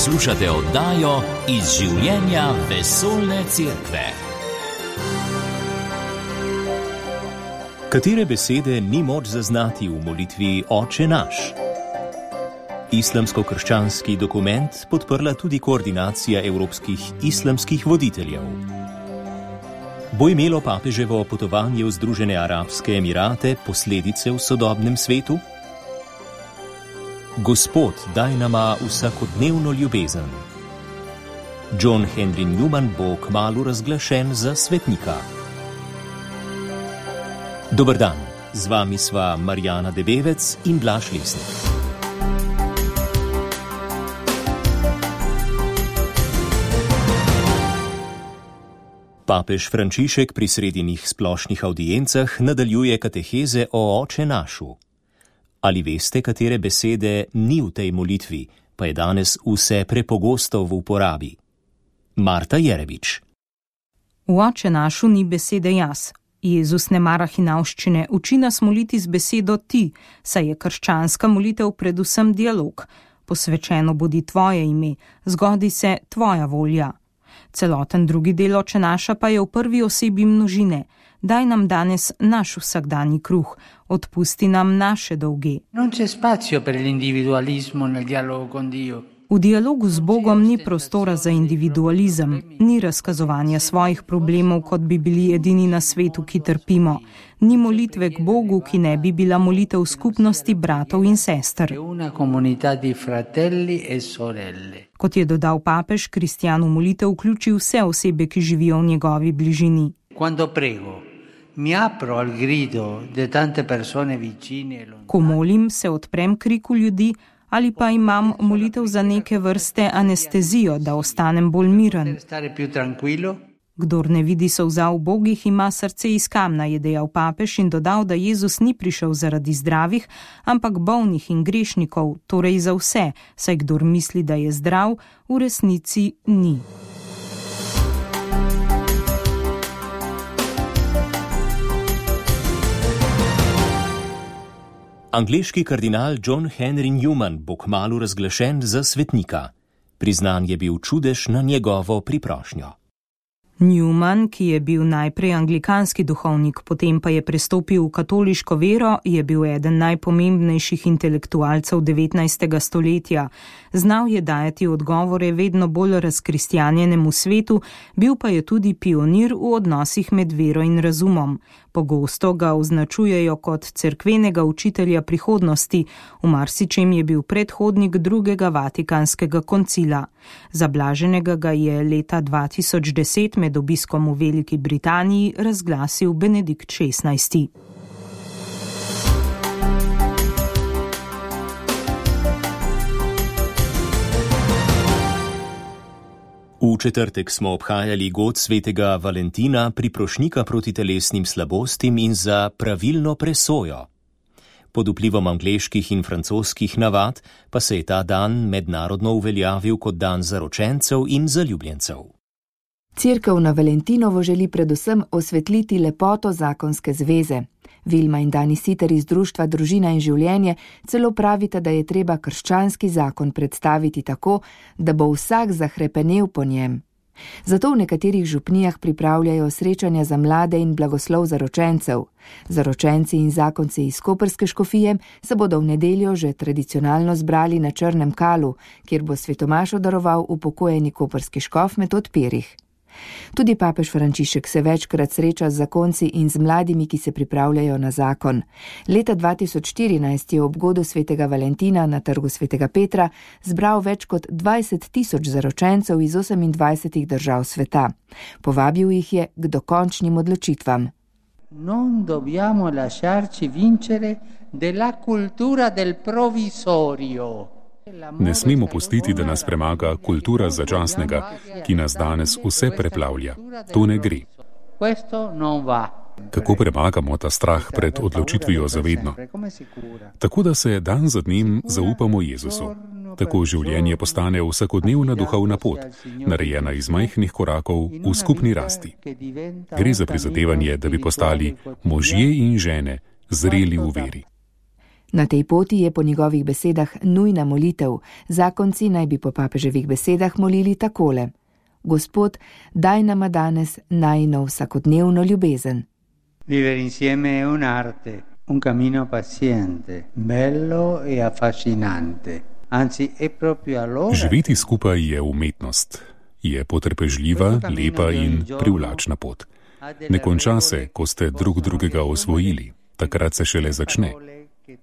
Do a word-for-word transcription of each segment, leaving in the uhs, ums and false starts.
Poslušate oddajo Iz življenja vesoljne cerkve. Katere besede ni moč zaznati v molitvi Oče naš? Islamsko-krščanski dokument podprla tudi koordinacija evropskih islamskih voditeljev. Bo imelo papeževo potovanje v Združene arabske emirate posledice v sodobnem svetu? Gospod, daj nama vsakodnevno ljubezen. John Henry Newman bo kmalu razglašen za svetnika. Dober dan, z vami sva Marjana Debevec in Blaž Lesnik. Papež Frančišek pri sredinih splošnih avdiencah nadaljuje kateheze o Oče našu. Ali veste, katere besede ni v tej molitvi, pa je danes vse prepogosto v uporabi? Marta Jerebič. V Oče našu ni besede jaz. Jezus ne mara hinavščine, uči nas moliti z besedo ti, saj je krščanska molitev predvsem dialog. Posvečeno bodi tvoje ime, zgodi se tvoja volja. Celoten drugi del Oče naša pa je v prvi osebi množine. Daj nam danes naš vsakdanji kruh, odpusti nam naše dolge. Non c'è spazio per l'individualismo nel dialogo con Dio. V dialogu z Bogom ni prostora za individualizem, ni razkazovanja svojih problemov, kot bi bili edini na svetu, ki trpimo. Ni molitve k Bogu, ki ne bi bila molitev skupnosti bratov in sester. Kot je dodal papež, kristjan v molitev vključi vse osebe, ki živijo v njegovi bližini. Ko molim, se odprem kriku ljudi, ali pa imam molitev za neke vrste anestezijo, da ostanem bolj miren. Kdor ne vidi solza v Bogih, ima srce iz kamna, je dejal papež in dodal, da Jezus ni prišel zaradi zdravih, ampak bolnih in grešnikov, torej za vse, saj kdor misli, da je zdrav, v resnici ni. Angleški kardinal John Henry Newman bo kmalu razglašen za svetnika. Priznan je bil čudež na njegovo priprošnjo. Newman, ki je bil najprej anglikanski duhovnik, potem pa je prestopil v katoliško vero, je bil eden najpomembnejših intelektualcev devetnajstega stoletja. Znal je dajati odgovore vedno bolj razkristjanjenemu svetu, bil pa je tudi pionir v odnosih med vero in razumom. Pogosto ga označujejo kot cerkvenega učitelja prihodnosti, v marsičem je bil predhodnik drugega vatikanskega koncila. Zablaženega ga je leta dva tisoč deset med obiskom v Veliki Britaniji razglasil Benedikt šestnajsti. V četrtek smo obhajali god svetega Valentina, priprošnika proti telesnim slabostim in za pravilno presojo. Pod vplivom angleških in francoskih navad pa se je ta dan mednarodno uveljavil kot dan zaročencev in zaljubljencev. Cerkev na Valentinovo želi predvsem osvetliti lepoto zakonske zveze. Vilma in Dani Siter iz društva Družina in življenje celo pravita, da je treba krščanski zakon predstaviti tako, da bo vsak zahrepenel po njem. Zato v nekaterih župnijah pripravljajo srečanja za mlade in blagoslov zaročencev. Zaročenci in zakonci iz koprske škofije se bodo v nedeljo že tradicionalno zbrali na Črnem Kalu, kjer bo svetomašo daroval upokojeni koprski škof Metod Pirih. Tudi papež Frančišek se večkrat sreča z zakonci in z mladimi, ki se pripravljajo na zakon. Leta dva tisoč štirinajst je ob godu svetega Valentina na trgu svetega Petra zbral več kot dvajset tisoč zaročencev iz osemindvajsetih držav sveta. Povabil jih je k dokončnim odločitvam. Non dobbiamo lasciarci vincere della cultura del provvisorio. Ne smemo pustiti, da nas premaga kultura začasnega, ki nas danes vse preplavlja. To ne gre. Kako premagamo ta strah pred odločitvijo za vedno? Tako, da se dan za dnem zaupamo Jezusu. Tako življenje postane vsakodnevna duhovna pot, narejena iz majhnih korakov v skupni rasti. Gre za prizadevanje, da bi postali možje in žene zreli v veri. Na tej poti je po njegovih besedah nujna molitev. Zakonci naj bi po papeževih besedah molili takole: Gospod, daj nama danes najino vsakodnevno ljubezen. Vivere insieme è un'arte, un cammino paziente, bello e affascinante. Anzi, è proprio allora... Živeti skupaj je umetnost. Je potrpežljiva, lepa in privlačna pot. Ne konča se, ko ste drug drugega osvojili. Takrat se šele začne.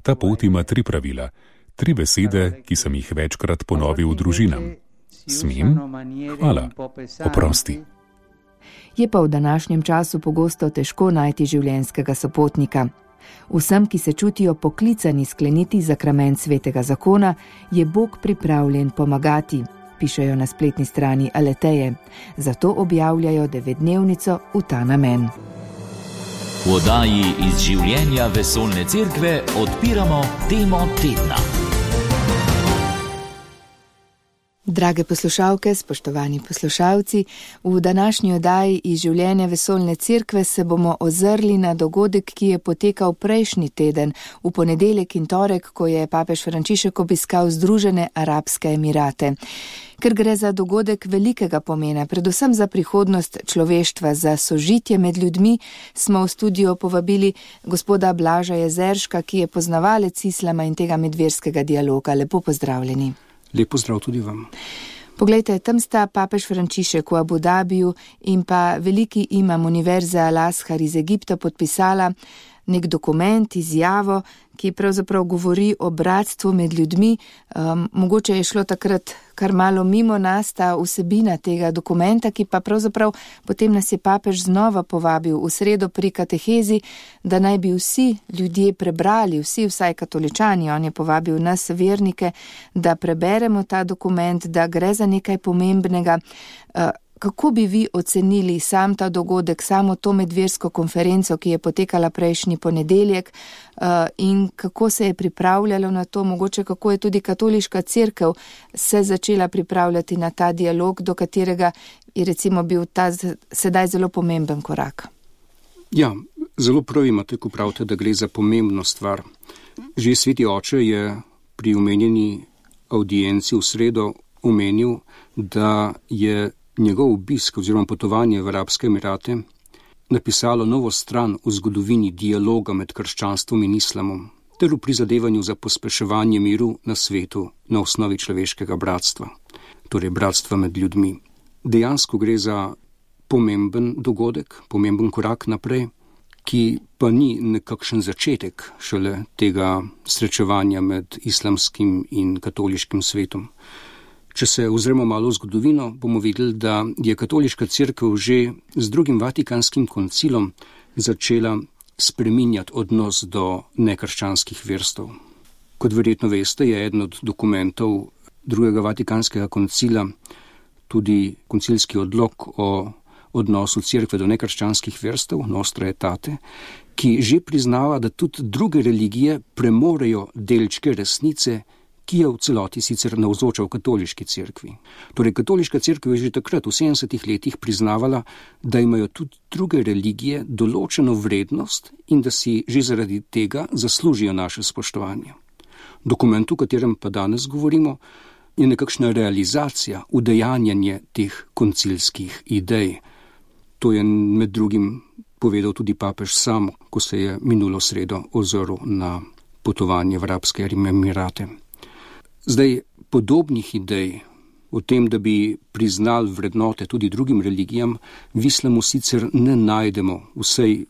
Ta pot ima tri pravila, tri besede, ki sem jih večkrat ponovil družinam. Smem, hvala, oprosti. Je pa v današnjem času pogosto težko najti življenjskega sopotnika. Vsem, ki se čutijo poklicani skleniti zakrament svetega zakona, je Bog pripravljen pomagati, pišejo na spletni strani Aleteje. Zato objavljajo devetdnevnico v ta namen. V oddaji iz življenja Vesoljne cerkve odpiramo temo tedna. Drage poslušalke, spoštovani poslušalci, v današnji oddaji iz življenja Vesoljne cerkve se bomo ozrli na dogodek, ki je potekal prejšnji teden, v ponedeljek in torek, ko je papež Frančišek obiskal Združene arabske emirate. Ker gre za dogodek velikega pomena, predvsem za prihodnost človeštva, za sožitje med ljudmi, smo v studio povabili gospoda Blaža Jezerška, ki je poznavalec islama in tega medverskega dialoga. Lepo pozdravljeni. Lep pozdrav tudi vam. Poglejte, tam sta papež Frančišek v Abu Dhabiju in pa veliki imam Univerze Al-Azhar iz Egipta podpisala nek dokument, izjavo, ki pravzaprav govori o bratstvu med ljudmi. Um, mogoče je šlo takrat kar malo mimo nas ta vsebina tega dokumenta, ki pa pravzaprav potem nas je papež znova povabil v sredo pri katehezi, da naj bi vsi ljudje prebrali, vsi vsaj katoličani, on je povabil nas vernike, da preberemo ta dokument, da gre za nekaj pomembnega. Uh, Kako bi vi ocenili sam ta dogodek, samo to medversko konferenco, ki je potekala prejšnji ponedeljek, in kako se je pripravljalo na to, mogoče kako je tudi katoliška cerkev se začela pripravljati na ta dialog, do katerega je recimo bil ta sedaj zelo pomemben korak? Ja, zelo prav imate, ko pravite, da gre za pomembno stvar. Že sveti oče je pri omenjeni audienci v sredo omenil, da je njegov obisk oziroma potovanje v Arabske emirate napisalo novo stran v zgodovini dialoga med krščanstvom in islamom, ter v prizadevanju za pospeševanje miru na svetu na osnovi človeškega bratstva, torej bratstva med ljudmi. Dejansko gre za pomemben dogodek, pomemben korak naprej, ki pa ni nekakšen začetek šele tega srečevanja med islamskim in katoliškim svetom. Če se ozremo malo v zgodovino, bomo videli, da je katoliška cerkev že z drugim vatikanskim koncilom začela spreminjati odnos do nekrščanskih verstev. Kot verjetno veste, je eden od dokumentov drugega vatikanskega koncila tudi koncilski odlok o odnosu cerkve do nekrščanskih verstev, Nostra Aetate, ki že priznava, da tudi druge religije premorejo delčke resnice, ki je v celoti sicer navzoča v katoliški cerkvi. Torej, katoliška cerkev je že takrat v sedemdesetih letih priznavala, da imajo tudi druge religije določeno vrednost in da si že zaradi tega zaslužijo naše spoštovanje. Dokument, o katerem pa danes govorimo, je nekakšna realizacija, udejanjanje teh koncilskih idej. To je med drugim povedal tudi papež sam, ko se je minulo sredo ozrl na potovanje v Arabske emirate. Zdaj, podobnih idej o tem, da bi priznali vrednote tudi drugim religijam, v islamu sicer ne najdemo, vsej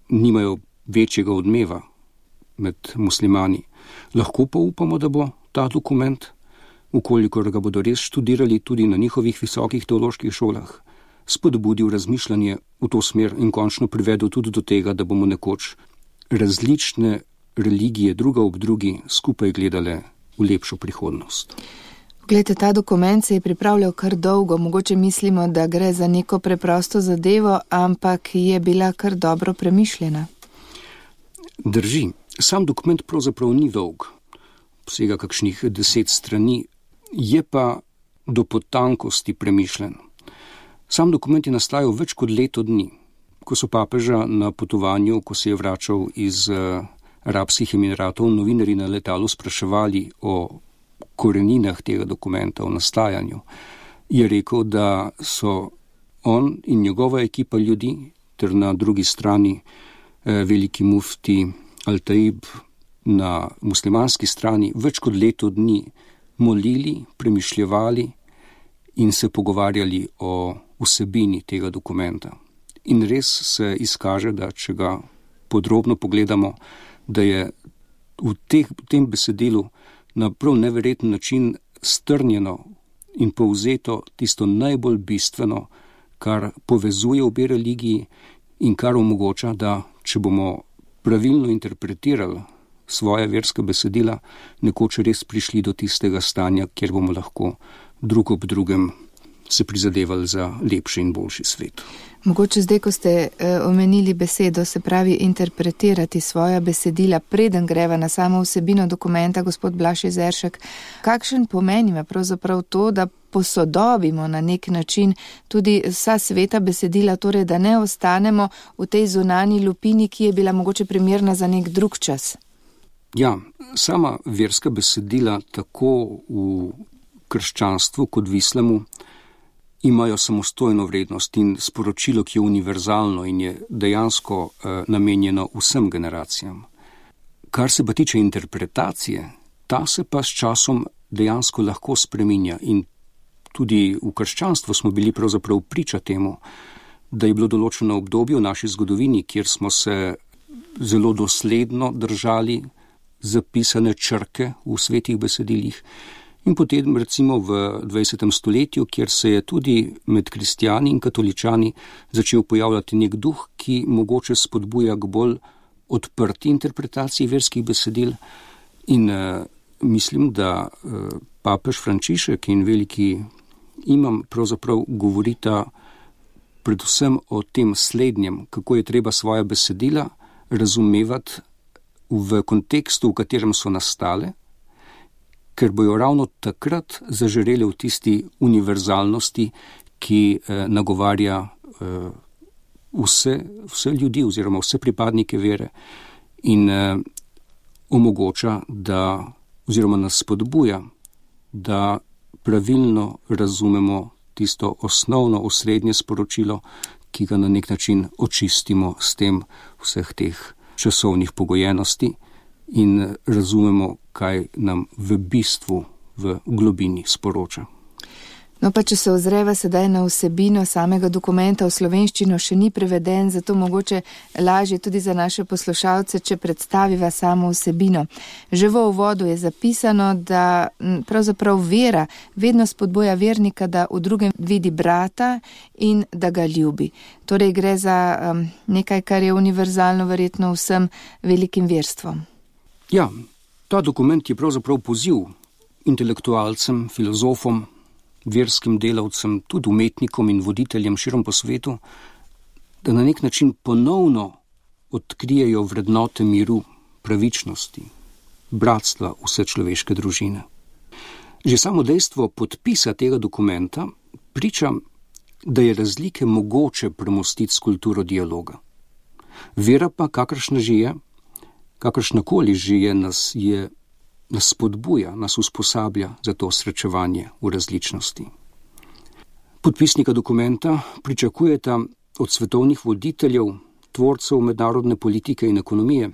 nimajo večjega odmeva med muslimani. Lahko pa upamo, da bo ta dokument, ukolikor ga bodo res študirali tudi na njihovih visokih teoloških šolah, spodbudil razmišljanje v to smer in končno privedel tudi do tega, da bomo nekoč različne religije druga ob drugi skupaj gledale v lepšo prihodnost. Glejte, ta dokument se je pripravljal kar dolgo, mogoče mislimo, da gre za neko preprosto zadevo, ampak je bila kar dobro premišljena. Drži, sam dokument pravzaprav ni dolg, vsega kakšnih deset strani, je pa do potankosti premišljen. Sam dokument je nastajal več kot leto dni, ko so papeža na potovanju, ko se je vračal iz Arabskih Emiratov novinarji na letalu spraševali o koreninah tega dokumenta, o nastajanju, je rekel, da so on in njegova ekipa ljudi, ter na drugi strani eh, veliki mufti Al-Taib na muslimanski strani, več kot leto dni molili, premišljevali in se pogovarjali o vsebini tega dokumenta. In res se izkaže, da če ga podrobno pogledamo, da je v, teh, v tem besedilu na prav neverjeten način strnjeno in povzeto tisto najbolj bistveno, kar povezuje obe religiji in kar omogoča, da če bomo pravilno interpretirali svoje verska besedila, nekoč res prišli do tistega stanja, kjer bomo lahko drug ob drugem se prizadevali za lepši in boljši svet. Mogoče zdaj, ko ste uh, omenili besedo, se pravi interpretirati svoja besedila, preden greva na samo vsebino dokumenta, gospod Blaž Jezeršek, kakšen pomen ima pravzaprav to, da posodobimo na nek način tudi vsa sveta besedila, torej da ne ostanemo v tej zunanji lupini, ki je bila mogoče primerna za nek drug čas? Ja, sama verska besedila tako v krščanstvu kot v islamu imajo samostojno vrednost in sporočilo, ki je univerzalno in je dejansko eh, namenjeno vsem generacijam. Kar se pa tiče interpretacije, ta se pa s časom dejansko lahko spreminja in tudi v krščanstvu smo bili pravzaprav priča temu, da je bilo določeno obdobje v naši zgodovini, kjer smo se zelo dosledno držali zapisane črke v svetih besedilih, in potem recimo v dvajsetem stoletju, kjer se je tudi med kristjani in katoličani začel pojavljati nek duh, ki mogoče spodbuja k bolj odprti interpretaciji verskih besedil. In uh, mislim, da uh, papež Frančišek in veliki imam pravzaprav govorita predvsem o tem slednjem, kako je treba svoja besedila razumevati v kontekstu, v katerem so nastale, ker bojo ravno takrat zažarele v tisti univerzalnosti, ki eh, nagovarja eh, vse, vse ljudi oziroma vse pripadnike vere in eh, omogoča, da, oziroma nas spodbuja, da pravilno razumemo tisto osnovno, osrednje sporočilo, ki ga na nek način očistimo s tem vseh teh časovnih pogojenosti in razumemo, kaj nam v bistvu, v globini sporoča. No pa če se ozreva sedaj na vsebino samega dokumenta, v slovenščino še ni preveden, zato mogoče lažje tudi za naše poslušalce, če predstaviva samo vsebino. Že v uvodu je zapisano, da pravzaprav vera vedno spodbuja vernika, da v drugem vidi brata in da ga ljubi. Torej gre za um, nekaj, kar je univerzalno verjetno vsem velikim verstvom. Ja, ta dokument je pravzaprav poziv intelektualcem, filozofom, verskim delavcem, tudi umetnikom in voditeljem širom po svetu, da na nek način ponovno odkrijejo vrednote miru, pravičnosti, bratstva vse človeške družine. Že samo dejstvo podpisa tega dokumenta priča, da je razlike mogoče premostiti s kulturo dialoga. Vera pa, kakršna že je, kakršnakoli že je, nas je nas spodbuja, nas usposablja za to srečevanje v različnosti. Podpisnika dokumenta pričakujeta od svetovnih voditeljev, tvorcev mednarodne politike in ekonomije,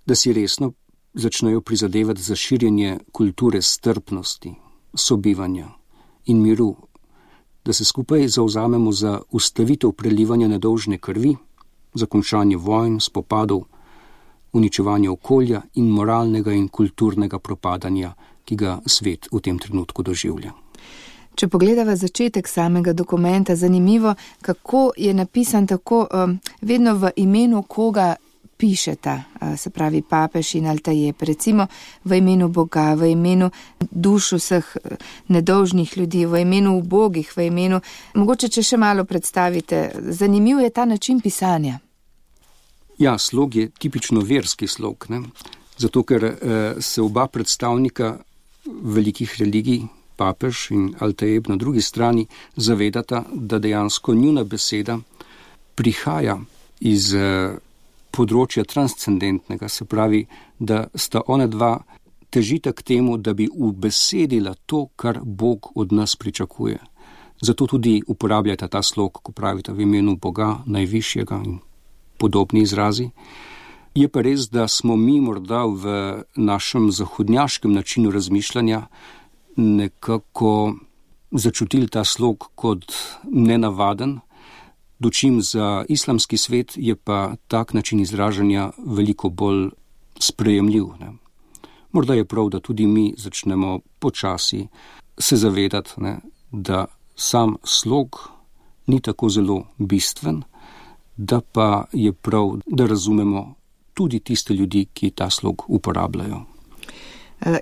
da si resno začnejo prizadevati za širjenje kulture strpnosti, sobivanja in miru, da se skupaj zavzamemo za ustavitev prelivanja nedolžne krvi, za končanje vojn, spopadov, uničevanje okolja in moralnega in kulturnega propadanja, ki ga svet v tem trenutku doživlja. Če pogledava začetek samega dokumenta, zanimivo, kako je napisan tako um, vedno v imenu koga pišeta, uh, se pravi papež in Al-Taib, recimo v imenu Boga, v imenu duš vseh nedolžnih ljudi, v imenu ubogih, v imenu, mogoče če še malo predstavite, zanimiv je ta način pisanja. Ja, slog je tipično verski slog, ne? Zato ker eh, se oba predstavnika velikih religij, papež in Al-Taib na drugi strani, zavedata, da dejansko njuna beseda prihaja iz eh, področja transcendentnega, se pravi, da sta ona dva težita k temu, da bi ubesedila to, kar Bog od nas pričakuje. Zato tudi uporabljata ta slog, ko pravita v imenu Boga, najvišjega in podobni izrazi. Je pa res, da smo mi morda v našem zahodnjaškem načinu razmišljanja nekako začutili ta slog kot nenavaden, dočim za islamski svet je pa tak način izražanja veliko bolj sprejemljiv. Ne? Morda je prav, da tudi mi začnemo počasi se zavedati, ne, da sam slog ni tako zelo bistven, da pa je prav, da razumemo tudi tiste ljudi, ki ta slog uporabljajo.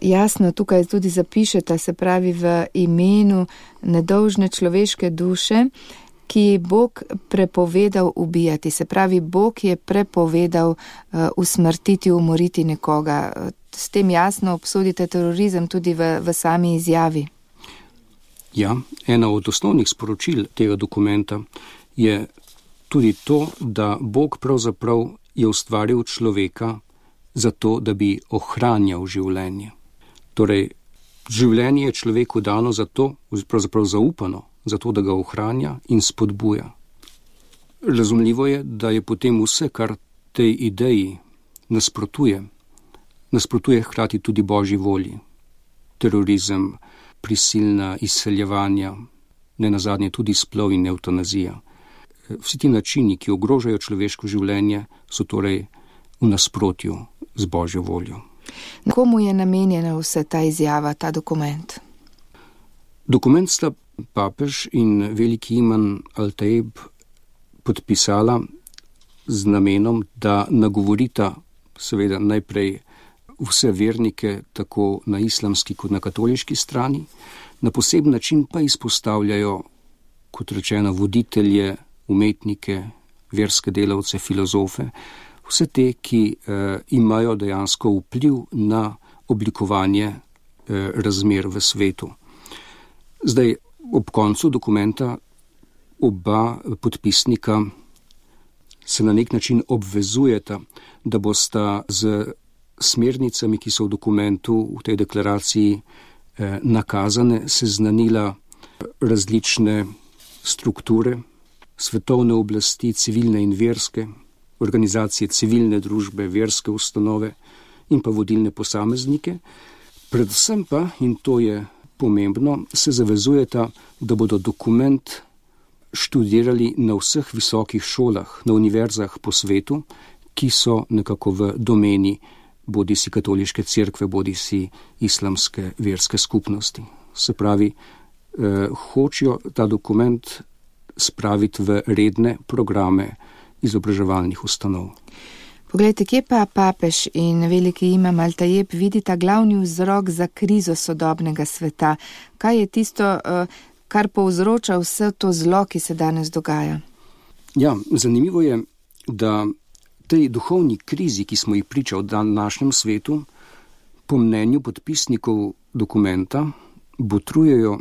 Jasno, tukaj tudi zapišete, se pravi v imenu nedolžne človeške duše, ki je Bog prepovedal ubijati. Se pravi, Bog je prepovedal uh, usmrtiti, umoriti nekoga. S tem jasno obsodite terorizem tudi v, v sami izjavi. Ja, ena od osnovnih sporočil tega dokumenta je tudi to, da Bog pravzaprav je ustvaril človeka zato, da bi ohranjal življenje. Torej, življenje je človeku dano zato, pravzaprav zaupano, zato, da ga ohranja in spodbuja. Razumljivo je, da je potem vse, kar tej ideji nasprotuje, nasprotuje hkrati tudi Božji volji. Terorizem, prisilna izseljevanja, nenazadnje tudi splov in evtanazija. Vsi ti načini, ki ogrožajo človeško življenje, so torej v nasprotju z Božjo voljo. Komu je namenjena vse ta izjava, ta dokument? Dokument sta papež in veliki imam Al-Taib podpisala z namenom, da nagovorita seveda najprej vse vernike, tako na islamski kot na katoliški strani, na poseben način pa izpostavljajo, kot rečeno, voditelje, umetnike, verske delavce, filozofe, vse te, ki eh, imajo dejansko vpliv na oblikovanje eh, razmer v svetu. Zdaj, ob koncu dokumenta oba podpisnika se na nek način obvezujeta, da bosta z smernicami, ki so v dokumentu, v tej deklaraciji eh, nakazane, seznanila različne strukture, svetovne oblasti, civilne in verske, organizacije civilne družbe, verske ustanove in pa vodilne posameznike. Predvsem pa, in to je pomembno, se zavezujeta, da bodo dokument študirali na vseh visokih šolah, na univerzah po svetu, ki so nekako v domeni bodi si katoliške cerkve, bodi si islamske verske skupnosti. Se pravi, eh, hočejo ta dokument spraviti v redne programe izobraževalnih ustanov. Poglejte, kje pa papež in veliki imam Al-Taib vidita glavni vzrok za krizo sodobnega sveta? Kaj je tisto, kar povzroča vse to zlo, ki se danes dogaja? Ja, zanimivo je, da tej duhovni krizi, ki smo jih priča v današnjem svetu, po mnenju podpisnikov dokumenta botrujejo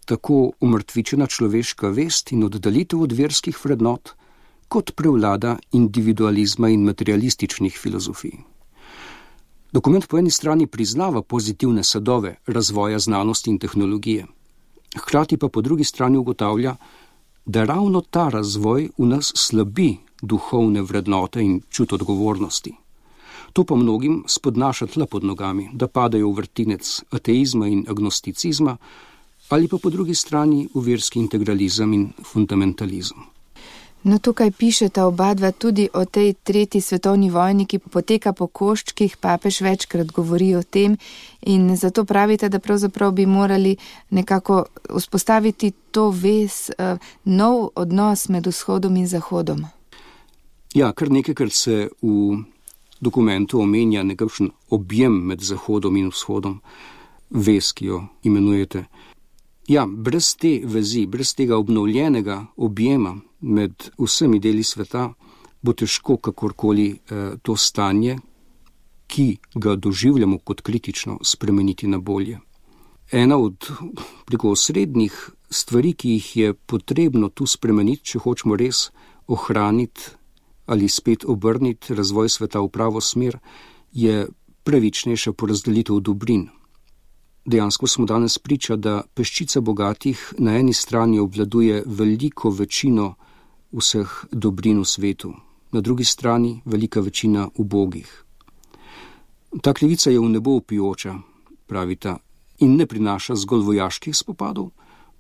tako umrtvičena človeška vest in oddalitev od verskih vrednot, kot prevlada individualizma in materialističnih filozofij. Dokument po eni strani priznava pozitivne sadove razvoja znanosti in tehnologije, hkrati pa po drugi strani ugotavlja, da ravno ta razvoj v nas slabi duhovne vrednote in čut odgovornosti. To pa mnogim spodnaša tla pod nogami, da padajo v vrtinec ateizma in agnosticizma, ali pa po drugi strani v verski integralizem in fundamentalizem. No, tukaj pišeta oba dva tudi o tej tretji svetovni vojni, ki poteka po koščkih, papež večkrat govori o tem in zato pravite, da pravzaprav bi morali nekako vzpostaviti to vez, uh, nov odnos med vzhodom in zahodom. Ja, kar nekajkrat se v dokumentu omenja nekakšen objem med zahodom in vzhodom, vez, ki jo imenujete. Ja, brez te vezi, brez tega obnovljenega objema med vsemi deli sveta, bo težko kakorkoli eh, to stanje, ki ga doživljamo kot kritično, spremeniti na bolje. Ena od preko osrednjih stvari, ki jih je potrebno tu spremeniti, če hočemo res ohraniti ali spet obrniti razvoj sveta v pravo smer, je pravičnejša porazdelitev dobrin. Dejansko smo danes priča, da peščica bogatih na eni strani obvladuje veliko večino vseh dobrin v svetu, na drugi strani velika večina ubogih. Ta krivica je v nebo vpijoča, pravita, in ne prinaša zgolj vojaških spopadov,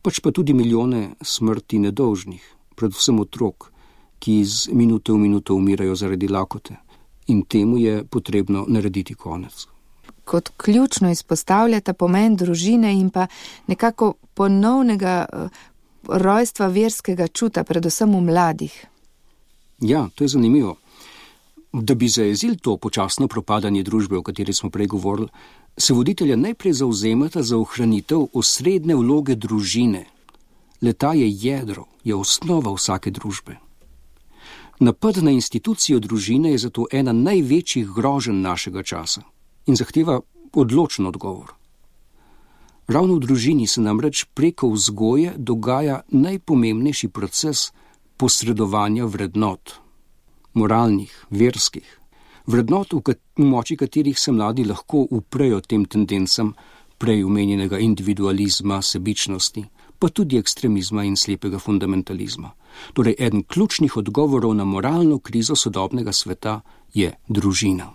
pač pa tudi milijone smrti nedolžnih, predvsem otrok, ki iz minute v minuto umirajo zaradi lakote. In temu je potrebno narediti konec. Kot ključno izpostavljata pomen družine in pa nekako ponovnega rojstva verskega čuta, predvsem v mladih. Ja, to je zanimivo. Da bi zajezili to počasno propadanje družbe, o kateri smo prej govorili, se voditelja najprej zavzemata za ohranitev osrednje vloge družine. Le-ta je jedro, je osnova vsake družbe. Napad na institucijo družine je zato ena največjih groženj našega časa in zahteva odločen odgovor. Ravno v družini se namreč preko vzgoje dogaja najpomembnejši proces posredovanja vrednot, moralnih, verskih, vrednot, v, kat- v moči katerih se mladi lahko uprejo tem tendencam prej omenjenega individualizma, sebičnosti, pa tudi ekstremizma in slepega fundamentalizma. Torej, eden ključnih odgovorov na moralno krizo sodobnega sveta je družina.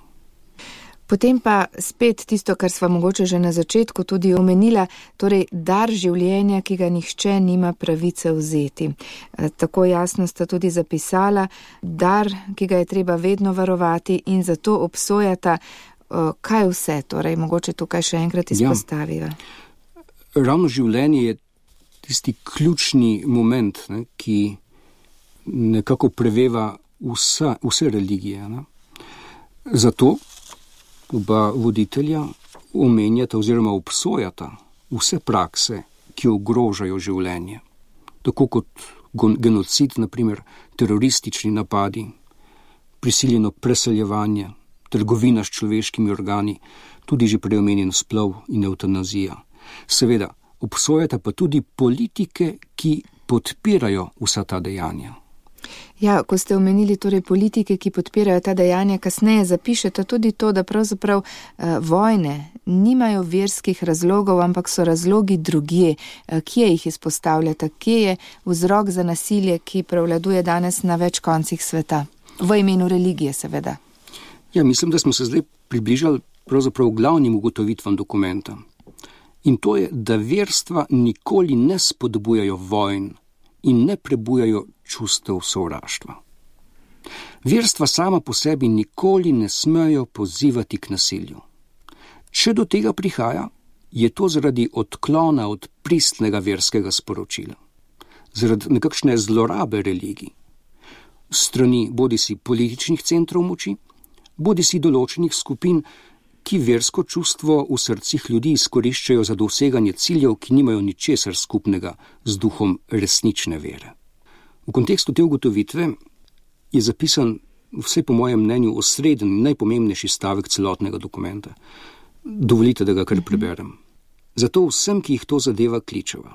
Potem pa spet tisto, kar sva mogoče že na začetku tudi omenila, torej dar življenja, ki ga nihče nima pravice vzeti. Tako jasno sta tudi zapisala, dar, ki ga je treba vedno varovati in zato obsojata, kaj vse, torej mogoče tukaj še enkrat izpostaviva. Ja. Ravno življenje je tisti ključni moment, ne, ki nekako preveva vsa, vse religije. Ne. Zato oba voditelja omenjata oziroma obsojata vse prakse, ki ogrožajo življenje. Tako kot genocid, naprimer teroristični napadi, prisiljeno preseljevanje, trgovina s človeškimi organi, tudi že preomenjen splov in evtanazija. Seveda, obsojata pa tudi politike, ki podpirajo vsa ta dejanja. Ja, ko ste omenili torej politike, ki podpirajo ta dejanja, kasneje zapišete tudi to, da pravzaprav eh, vojne nimajo verskih razlogov, ampak so razlogi drugje. Eh, kje jih izpostavljate? Kje je vzrok za nasilje, ki prevladuje danes na več koncih sveta? V imenu religije, seveda. Ja, mislim, da smo se zdaj približali pravzaprav glavnim ugotovitvam dokumenta. In to je, da verstva nikoli ne spodbujajo vojn in ne prebujajo čustev sovraštva. Verstva sama po sebi nikoli ne smejo pozivati k nasilju. Če do tega prihaja, je to zaradi odklona od pristnega verskega sporočila, zaradi nekakšne zlorabe religij, strani bodisi političnih centrov moči, bodisi določenih skupin, ki versko čustvo v srcih ljudi izkoriščajo za doseganje ciljev, ki nimajo ničesar skupnega z duhom resnične vere. V kontekstu te ugotovitve je zapisan vse po mojem mnenju osreden in najpomembnejši stavek celotnega dokumenta. Dovolite, da ga kar preberem. Zato vsem, ki jih to zadeva, kličeva.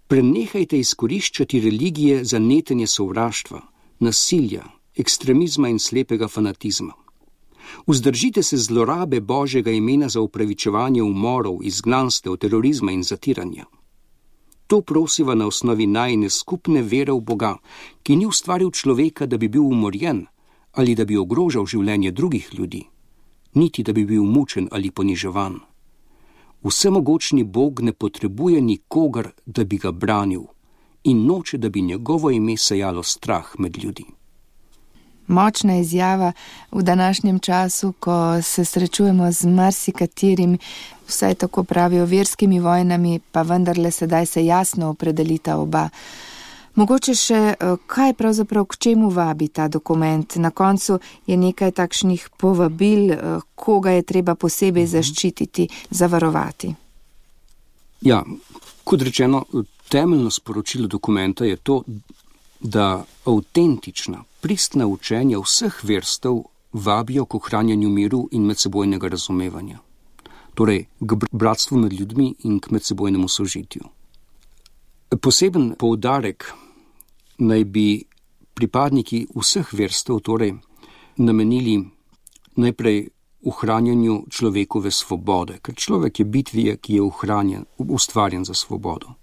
Prenehajte izkoriščati religije za netenje sovraštva, nasilja, ekstremizma in slepega fanatizma. Vzdržite se zlorabe Božjega imena za upravičevanje umorov, izgnanstev, terorizma in zatiranja. To prosiva na osnovi najine skupne vere v Boga, ki ni ustvaril človeka, da bi bil umorjen ali da bi ogrožal življenje drugih ljudi, niti da bi bil mučen ali poniževan. Vsemogočni Bog ne potrebuje nikogar, da bi ga branil in noče, da bi njegovo ime sejalo strah med ljudi. Močna izjava v današnjem času, ko se srečujemo z marsikaterim, vsaj tako pravijo, verskimi vojnami, pa vendarle sedaj se jasno opredelita oba. Mogoče še, kaj pravzaprav k čemu vabi ta dokument? Na koncu je nekaj takšnih povabil, koga je treba posebej zaščititi, zavarovati. Ja, kot rečeno, temeljno sporočilo dokumenta je to, da avtentična, pristna učenja vseh verstev vabijo k ohranjanju miru in medsebojnega razumevanja. Torej, k bratstvu med ljudmi in k medsebojnemu sožitju. Poseben poudarek naj bi pripadniki vseh verstev torej namenili najprej ohranjanju človekove svobode, ker človek je bitje, ki je ohranjen, ustvarjen za svobodo.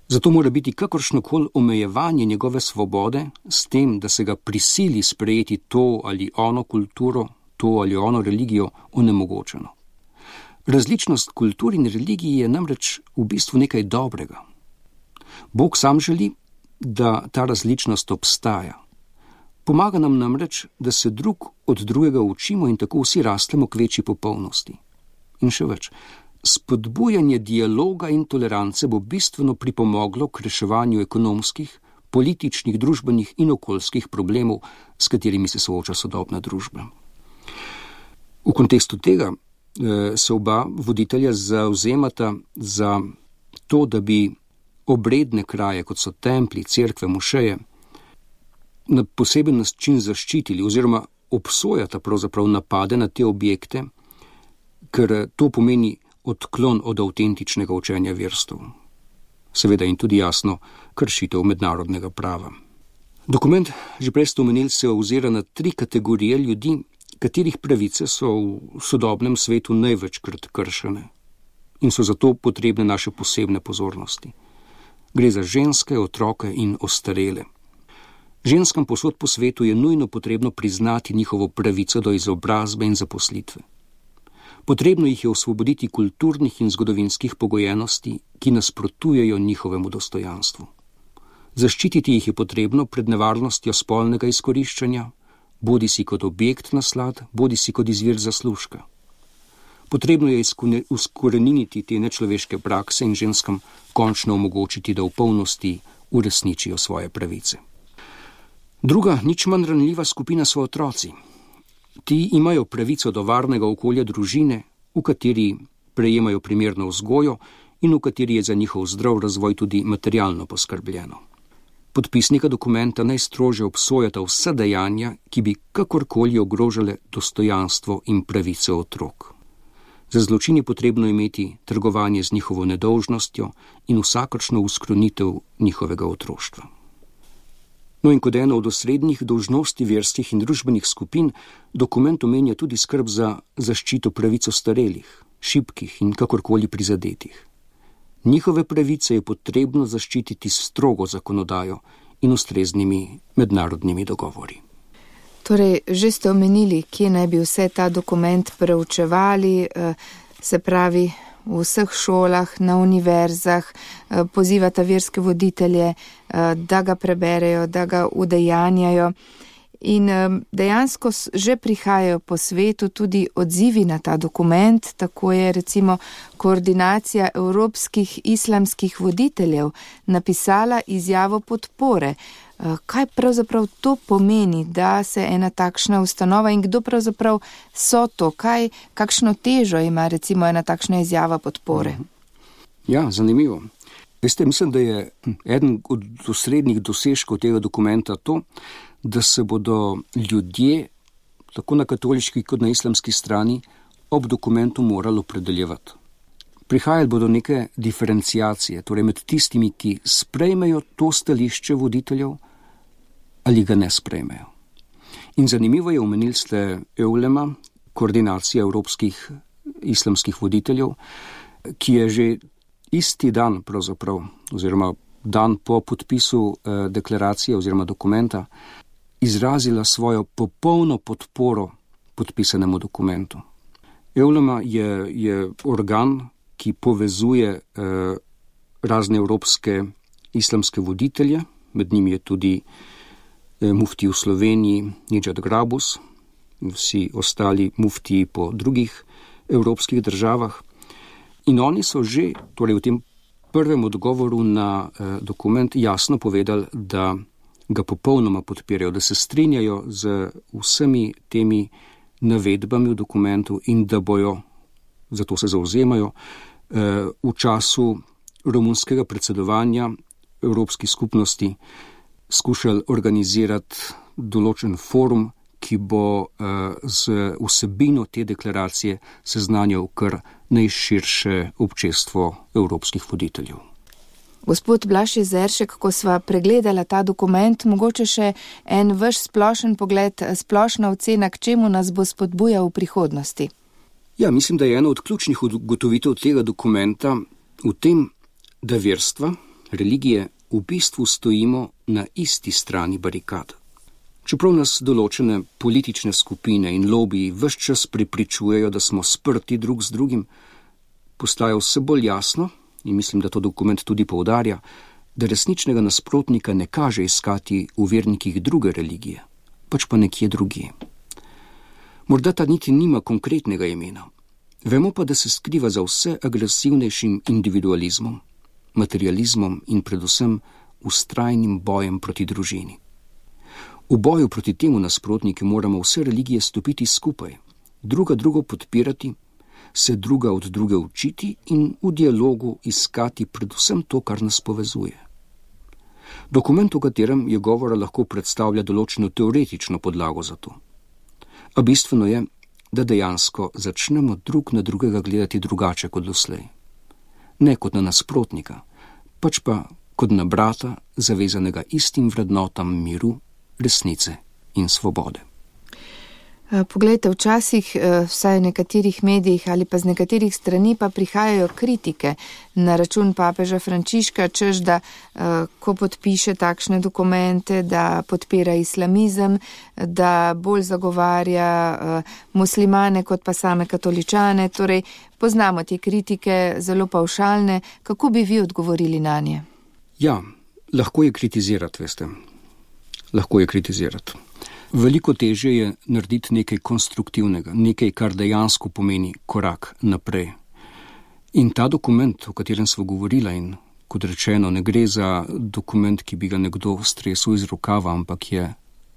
Zato mora biti kakršnokoli omejevanje njegove svobode s tem, da se ga prisili sprejeti to ali ono kulturo, to ali ono religijo, onemogočeno. Različnost kultur in religij je namreč v bistvu nekaj dobrega. Bog sam želi, da ta različnost obstaja. Pomaga nam namreč, da se drug od drugega učimo in tako vsi rastemo k večji popolnosti. In še več, spodbujanje dialoga in tolerance bo bistveno pripomoglo k reševanju ekonomskih, političnih, družbenih in okoljskih problemov, s katerimi se sooča sodobna družba. V kontekstu tega eh, se oba voditelja zauzemata za to, da bi obredne kraje, kot so templji, cerkve, mošeje, na poseben način zaščitili oziroma obsojata pravzaprav napade na te objekte, ker to pomeni odklon od avtentičnega učenja verstev. Seveda in tudi jasno kršitev mednarodnega prava. Dokument, že prej ste omenili, se ozira na tri kategorije ljudi, katerih pravice so v sodobnem svetu največkrat kršene in so zato potrebne naše posebne pozornosti. Gre za ženske, otroke in ostarele. Ženskam posod po svetu je nujno potrebno priznati njihovo pravico do izobrazbe in zaposlitve. Potrebno jih je osvoboditi kulturnih in zgodovinskih pogojenosti, ki nasprotujejo njihovemu dostojanstvu. Zaščititi jih je potrebno pred nevarnostjo spolnega izkoriščanja, bodi si kot objekt naslad, bodi si kot izvir zaslužka. Potrebno je izkoreniniti te nečloveške prakse in ženskam končno omogočiti, da v polnosti uresničijo svoje pravice. Druga, nič manj ranljiva skupina so otroci. Ti imajo pravico do varnega okolja družine, v kateri prejemajo primerno vzgojo in v kateri je za njihov zdrav razvoj tudi materialno poskrbljeno. Podpisnika dokumenta najstrožje obsojata vsa dejanja, ki bi kakorkoli ogrožale dostojanstvo in pravice otrok. Za zločin je potrebno imeti trgovanje z njihovo nedolžnostjo in vsakršno uskrunitev njihovega otroštva. No in kot eno od osrednjih dolžnosti verskih in družbenih skupin, dokument omenja tudi skrb za zaščito pravic ostarelih, šibkih in kakorkoli prizadetih. Njihove pravice je potrebno zaščititi s strogo zakonodajo in ustreznimi mednarodnimi dogovori. Torej, že ste omenili, kje naj bi vse ta dokument preučevali, se pravi v vseh šolah, na univerzah, pozivata verske voditelje, da ga preberejo, da ga udejanjajo. In dejansko že prihajajo po svetu tudi odzivi na ta dokument, tako je recimo Koordinacija evropskih islamskih voditeljev napisala izjavo podpore. Kaj pravzaprav to pomeni, da se ena takšna ustanova in kdo pravzaprav so to, kaj, kakšno težo ima recimo ena takšna izjava podpore? Ja, zanimivo. Veste, mislim, da je eden od osrednjih dosežkov tega dokumenta to, da se bodo ljudje, tako na katoliški kot na islamski strani, ob dokumentu morali opredeljevati. Prihajali bodo neke diferenciacije, torej med tistimi, ki sprejmejo to stališče voditeljev ali ga ne sprejmejo. In zanimivo je, omenili ste EULEMA, Koordinacija evropskih islamskih voditeljev, ki je že isti dan pravzaprav, oziroma dan po podpisu eh, deklaracije oziroma dokumenta, izrazila svojo popolno podporo podpisanemu dokumentu. EULEMA je, je organ, ki povezuje eh, razne evropske islamske voditelje, med njimi je tudi eh, mufti v Sloveniji, Nidžad Grabus, vsi ostali muftiji po drugih evropskih državah. In oni so že, torej v tem prvem odgovoru na eh, dokument, jasno povedali, da ga popolnoma podpirajo, da se strinjajo z vsemi temi navedbami v dokumentu in da bojo, zato se zauzemajo, v času romunskega predsedovanja Evropski skupnosti skušali organizirati določen forum, ki bo z vsebino te deklaracije seznanjal kar najširše občestvo evropskih voditeljev. Gospod Blaž Jezeršek, ko sva pregledala ta dokument, mogoče še en vaš splošen pogled, splošna ocena, k čemu nas bo spodbujal v prihodnosti? Ja, mislim, da je ena od ključnih ugotovitev tega dokumenta v tem, da verstva, religije, v bistvu stojimo na isti strani barikad. Čeprav nas določene politične skupine in lobiji ves čas prepričujejo, da smo sprti drug z drugim, postaja vse bolj jasno, in mislim, da to dokument tudi poudarja, da resničnega nasprotnika ne kaže iskati v vernikih druge religije, pač pa nekje drugje. Morda ta niti nima konkretnega imena. Vemo pa, da se skriva za vse agresivnejšim individualizmom, materializmom in predvsem vztrajnim bojem proti družini. V boju proti temu nasprotniki moramo vse religije stopiti skupaj, druga drugo podpirati, se druga od druge učiti in v dialogu iskati predvsem to, kar nas povezuje. Dokument, o katerem je govora, lahko predstavlja določeno teoretično podlago za to. A bistveno je, da dejansko začnemo drug na drugega gledati drugače kot doslej. Ne kot na nasprotnika, pač pa kot na brata, zavezanega istim vrednotam miru, resnice in svobode. Poglejte, včasih vsaj v nekaterih medijih ali pa z nekaterih strani pa prihajajo kritike na račun papeža Frančiška, češ da ko podpiše takšne dokumente, da podpira islamizem, da bolj zagovarja muslimane kot pa same katoličane. Torej, poznamo te kritike, zelo pavšalne. Kako bi vi odgovorili na nje? Ja, lahko je kritizirati, veste. Lahko je kritizirati. Veliko težje je narediti nekaj konstruktivnega, nekaj, kar dejansko pomeni korak naprej. In ta dokument, o katerem smo govorila, in kot rečeno, ne gre za dokument, ki bi ga nekdo stresel iz rokava, ampak je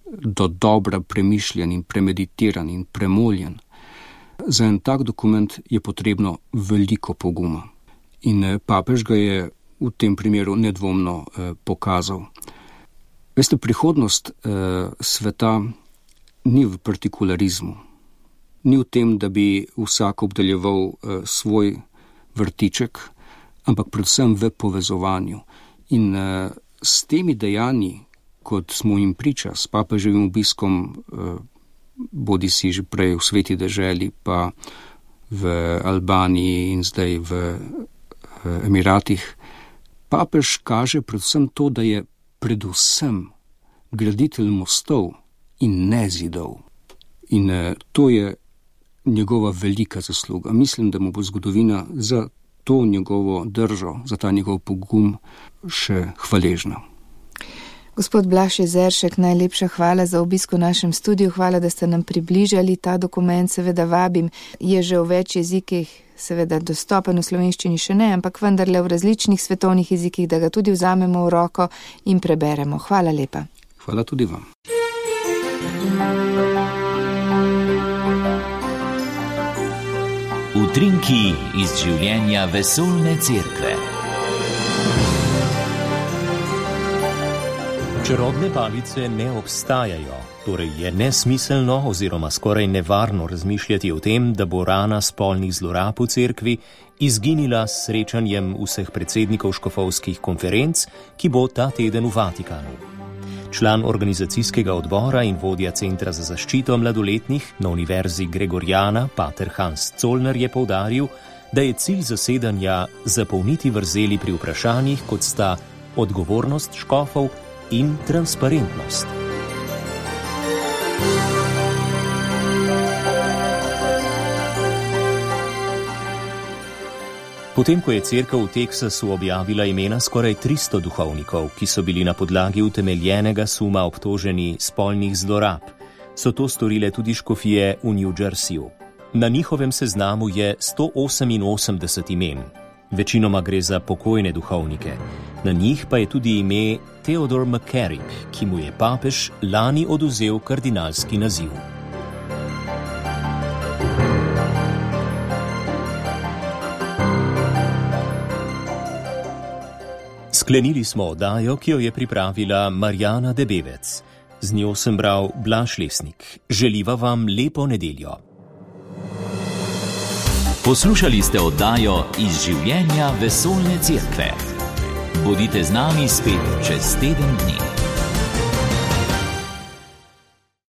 do dobra premišljen in premeditiran in premoljen. Za en tak dokument je potrebno veliko poguma. In papež ga je v tem primeru nedvomno eh, pokazal. Veste, prihodnost eh, sveta ni v partikularizmu, ni v tem, da bi vsak obdeljeval eh, svoj vrtiček, ampak predvsem v povezovanju. In eh, s temi dejanji, kot smo jim priča, s papeževim obiskom, eh, bodi si že prej v Sveti deželi, pa v Albaniji in zdaj v eh, Emiratih, papež kaže predvsem to, da je predvsem graditelj mostov in ne zidov. In eh, to je njegova velika zasluga. Mislim, da mu bo zgodovina za to njegovo držo, za ta njegov pogum še hvaležna. Gospod Blaž Jezeršek, najlepša hvala za obisk v našem studiu, hvala, da ste nam približali ta dokument, seveda vabim, je že v več jezikih, seveda dostopen, v slovenščini še ne, ampak vendarle v različnih svetovnih jezikih, da ga tudi vzamemo v roko in preberemo. Hvala lepa. Hvala tudi vam. Utrinki iz življenja vesoljne cerkve. Čarobne palice ne obstajajo, torej je nesmiselno oziroma skoraj nevarno razmišljati o tem, da bo rana spolnih zlorab v cerkvi izginila s srečanjem vseh predsednikov škofovskih konferenc, ki bo ta teden v Vatikanu. Član organizacijskega odbora in vodja Centra za zaščito mladoletnih na Univerzi Gregoriana, pater Hans Zollner, je poudaril, da je cilj zasedanja zapolniti vrzeli pri vprašanjih, kot sta odgovornost škofov in transparentnost. Potem, ko je cerkev v Teksasu objavila imena skoraj tristo duhovnikov, ki so bili na podlagi utemeljenega suma obtoženi spolnih zlorab, so to storile tudi škofije v New Jerseyju. Na njihovem seznamu je sto oseminosemdeset imen. Večinoma gre za pokojne duhovnike. Na njih pa je tudi ime Theodore McCarrick, ki mu je papež lani odvzel kardinalski naziv. Sklenili smo oddajo, ki jo je pripravila Marjana Debevec. Z njo sem bral Blaž Lesnik. Želiva vam lepo nedeljo. Poslušali ste oddajo Iz življenja vesoljne cerkve. Bodite z nami spet čez teden dni.